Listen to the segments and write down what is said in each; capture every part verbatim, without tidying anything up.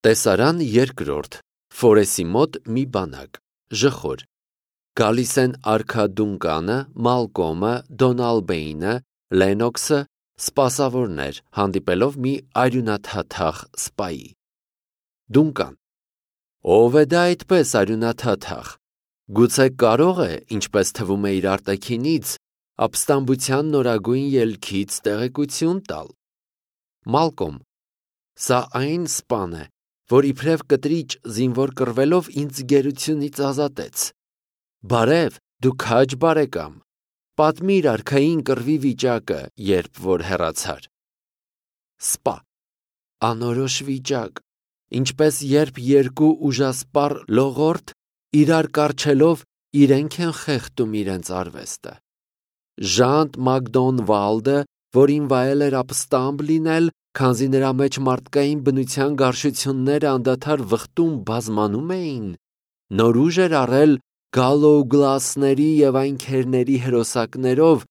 Տեսարան երկրորդ, Ֆորեսի մոտ մի բանակ, ժխոր, գալիս են արքա Դունկանը, Մալկոմը, Դոնալբեինը, Լենոքսը, սպասավորներ, հանդիպելով մի արյունաթաթախ սպայի։ Դունկան. ով է դա այդպես արյունաթաթախ, գուցե կարող է, ինչպես թվում է իր արտաքինից, ապստամբության նորագույն ելքից տեղեկություն տալ։ Մալկոմ. սա այն սպան է, որ իբրև կտրիչ զինվոր կռվելով ինձ գերությունից ազատեց։ Բարև, դու քաջ բարեկամ, պատմիր արքային կռվի վիճակը, երբ որ հեռացար։ Սպա. անորոշ վիճակ, ինչպես երբ երկու ուժասպառ լողորդ իրար կառչելով իրենք են խեղդում իրենց արվեստը։ Ժանտ Մակդոնվալդը, որին վայել էր ապստամբ լինել, քանզի նրա մեջ մարդկային բնության գարշությունները անդադար վխտում բազմանում էին, նոր ուժ էր առել գալոուգլասների և այն քերների հրոսակներով,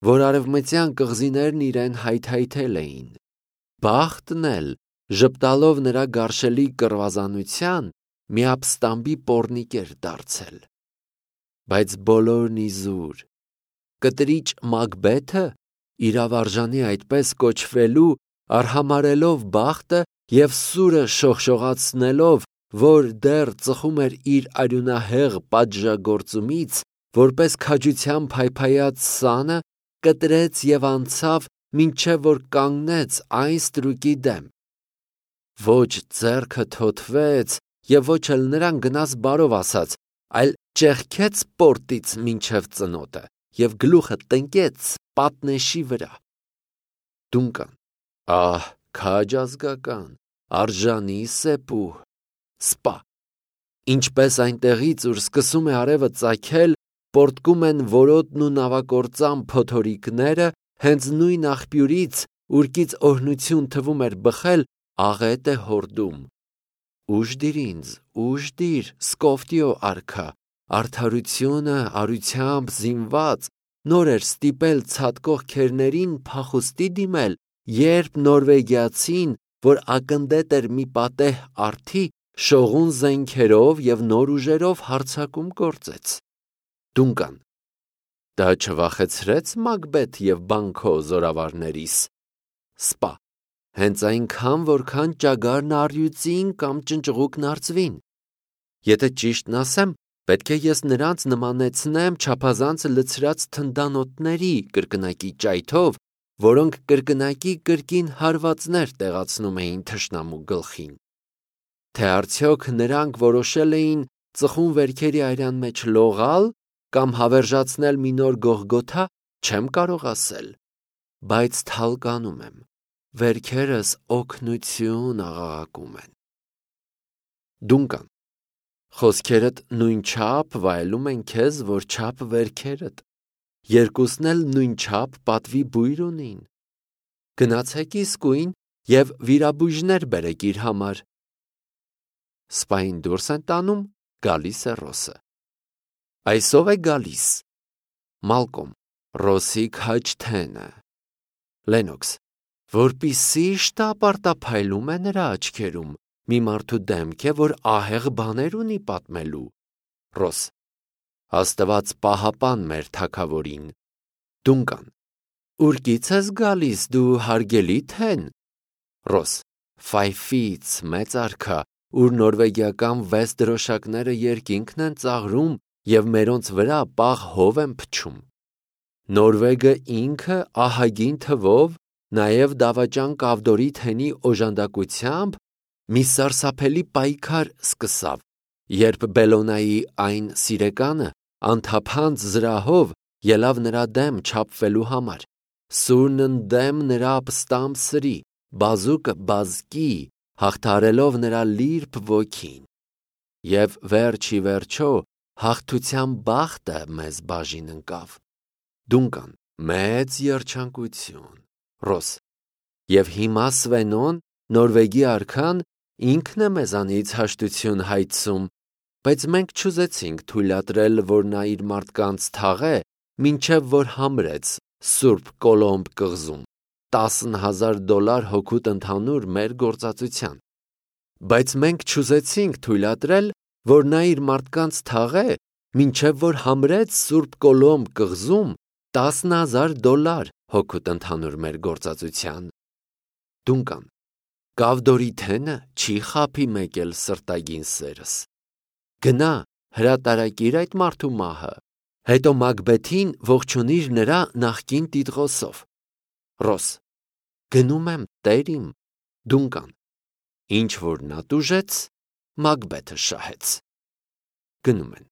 որ արևմտյան կղզիներն իրեն հայթայթել էին։ Բախտն էլ, ժպտալով նրա գարշելի կռվազանության, մի ապստամբի պոռնիկ էր դարձել։ Բայց բոլորն իզուր։ Կտրիչ Մակբեթը իրավարժանի այդպես կոչվելու արհամարհելով բախտը և սուրը շողշողացնելով, որ դեռ ծխում էր իր արյունահեղ պատժագործումից, որպես քաջության փայփայած սանը, կտրեց և անցավ, մինչև որ կանգնեց այն ստրուկի դեմ։ Ոչ ձեռքը թոթվեց և ոչ էլ նրան գնաց բարով ասաց, այլ ճեղքեց պորտից մինչև ծնոտը և գլուխը տնկեց պատնեշի վրա։ Դունկան. ահ, քաջ ազգական, արժանի սեպուհ, սպա, ինչպես այնտեղից, ուր սկսում է արևը ծագել, պոռտկում են որոտն ու նավակործան փոթորիկները, հենց նույն աղբյուրից, ուրկից օրհնություն թվում էր բխել, աղետ է հորդում։ Ուժ դիր ինձ, ուժ դիր, Սկոֆտիո արքա, արդարությունը արությամբ զինված, նոր էր ստիպել ցատկող քերներին փախուստի դիմել, երբ նորվեգիացին, որ ակնդետ էր մի պատեհ արդի, շողուն զենքերով և նոր ուժերով հարձակում գործեց։ Դունկան. դա չվախեցրեց Մակբեթ և Բանքո զորավարներիս։ Սպա. հենց այնքան, որքան ճագարն առյուծին կամ ճնճղուկն արծվին։ Եթե ճիշտն ասեմ, պետք է ես նրանց նմանեցնեմ չափազանց լցրած թնդանոթների կրկնակի ճայթով, որոնք կրկնակի կրկին հարվածներ տեղացնում էին թշնամու գլխին։ Թե արդյոք նրանք որոշել էին ծխուն վերքերի այրան մեջ լողալ կամ հավերժացնել մի նոր Գողգոթա, չեմ կարող ասել, բայց թալկանում եմ, վերքերս օգնություն աղաղակում են։ Դունկան. խոսքերդ նույնչափ վայելում են քեզ, որչափ վերքերդ, երկուսն էլ նույնչափ պատվի բույր ունին։ Գնացեք իսկույն և վիրաբույժներ բերեք իր համար։ Սպային դուրս են տանում, գալիս է Ռոսը։ Այս ո՞վ է գալիս։ Մալկոմ. Ռոսի քաջ թենը։ Լենոքս. որպիսի շտապարտափայլում է նրա աչքերում, մի մարդու դեմք է, որ ահեղ բաներ ունի պատմելու։ Ռոս. Աստված պահապան մեր թագավորին։ Դունկան. ուրկից ես գալիս դու հարգելի թեն։ Ռոս. Ֆայֆից, մեծ արքա, ուր նորվեգիական վեց դրոշակները երկինքն են ծաղրում և մերոնց վրա պաղ հով են փչում։ Նորվեգը ինքը ահագին թվով, նաև դավաճան Կավդորի թենի օժանդակությամբ մի սարսափելի պայքար սկսավ, երբ Բելոնայի այն սիրեկանը անթափանց զրահով ելավ նրա դեմ չափվելու համար, սուրն ընդդեմ նրա ապստամբ սրի, բազուկը բազկի, հաղթահարելով նրա լիրբ ոգին։ Եվ վերջ ի վերջո հաղթության բախտը մեզ բաժին ընկավ։ Դունկան. մեծ երջանկություն։ Ռոս. և հիմա Սվենոն, Նորվեգի արքան, ինքն է մեզանից հաշտություն հայցում, բայց մենք չուզեցինք թույլատրել, որ նա իր մարդկանց թաղե, մինչև որ համրեց Սուրբ Կոլոմբ կղզում, տասն հազար դոլար հօգուտ ընդհանուր մեր գործածության։ Բայց մենք չուզեցինք թույլատրել, որ նա իր մարդկանց թաղե, մինչև որ համրեց Սուրբ Կոլոմ կղզում տասն հազար դոլար հօգուտ ընդհանուր մեր գործածության։ Դունկան, Կավդորի թենը չի խաբի մեկել սրտագին սերս։ Գնա, հրատարակիր այդ մարդու մահը, հետո Մակբեթին ողջունիր նրա նախկին տիտղոսով։ Ռոս, գնում եմ, տեր իմ։ Դունկան, ինչ որ նա տուժեց, Մակբեթը շահեց։ Գնում են։